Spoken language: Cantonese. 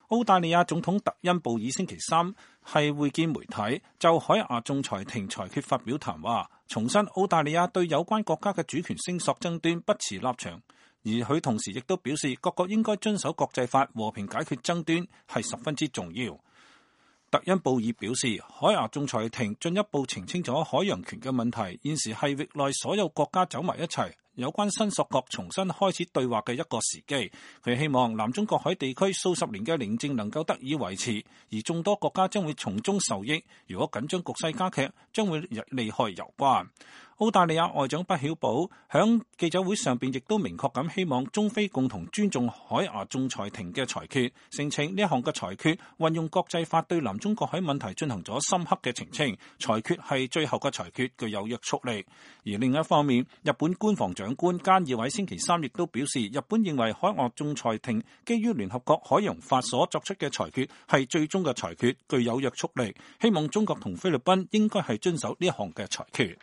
澳大利亞總統特恩布爾星期三係會見媒體，就海牙仲裁庭裁決發表談話，重申澳大利亞對有關國家嘅主權聲索爭端不持立場，而佢同時亦都表示各國應該遵守國際法，和平解決爭端係十分之重要。特恩布爾表示，海牙仲裁庭進一步澄清咗海洋權嘅問題，現時係域內所有國家走埋一齊，有關申索國重新開始對話嘅一個時機。佢希望南中國海地區數十年嘅寧靜能夠得以維持，而眾多國家將會從中受益。如果緊張局勢加劇，將會利害攸關。澳大利亞外長畢曉保響記者會上邊亦都明確咁希望中非共同尊重海牙仲裁庭嘅裁決，聲稱呢一項嘅裁決運用國際法對南中國海問題進行咗深刻嘅澄清，裁決係最後嘅裁決，具有約束力。而另一方面，日本官房長官菅義偉星期三亦都表示，日本認為海牙仲裁庭基於聯合國海洋法所作出嘅裁決係最終嘅裁決，具有約束力，希望中國同菲律賓應該係遵守呢一項嘅裁決。